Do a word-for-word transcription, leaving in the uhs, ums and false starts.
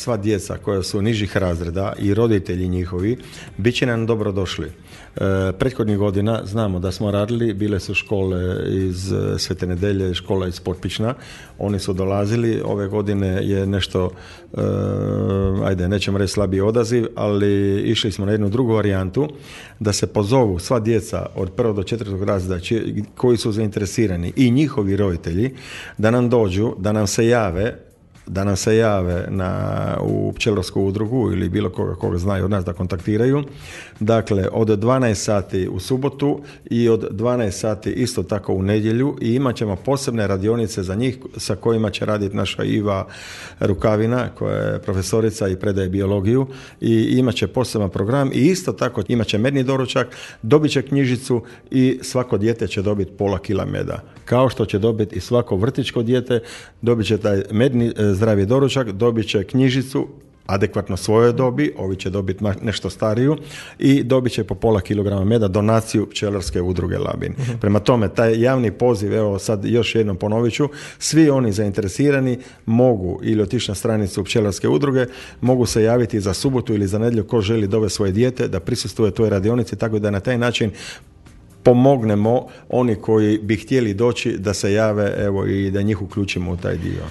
sva djeca koja su nižih razreda i roditelji njihovi bit će nam dobro došli. E, prethodnih godina znamo da smo radili, bile su škole iz Svete Nedelje, škola iz Potpična, oni su dolazili, ove godine je nešto, e, ajde, nećemo reći slabiji odaziv, ali išli smo na jednu drugu varijantu, da se pozovu sva djeca od prvog do četvrtog razreda koji su zainteresirani i njihovi roditelji, da nam dođu, da nam se jave, da nam se jave na, u pčelarsku udrugu ili bilo koga koga znaju od nas da kontaktiraju. Dakle, od dvanaest sati u subotu i od dvanaest sati isto tako u nedjelju i imat ćemo posebne radionice za njih sa kojima će raditi naša Iva Rukavina koja je profesorica i predaje biologiju i imat će poseban program i isto tako imat će medni doručak, dobit će knjižicu i svako dijete će dobiti pola kila meda. Kao što će dobiti i svako vrtićko dijete, dobit će taj medni zdravi doručak, dobit će knjižicu adekvatno svojoj dobi, ovi će dobiti nešto stariju i dobit će po pola kilograma meda, donaciju pčelarske udruge Labin. Uh-huh. Prema tome, taj javni poziv, evo sad još jednom ponovit ću, svi oni zainteresirani mogu ili otići na stranicu pčelarske udruge, mogu se javiti za subotu ili za nedjelju ko želi dovesti svoje dijete da prisustvuje toj radionici, tako da na taj način pomognemo oni koji bi htjeli doći da se jave, evo, i da njih uključimo u taj dio.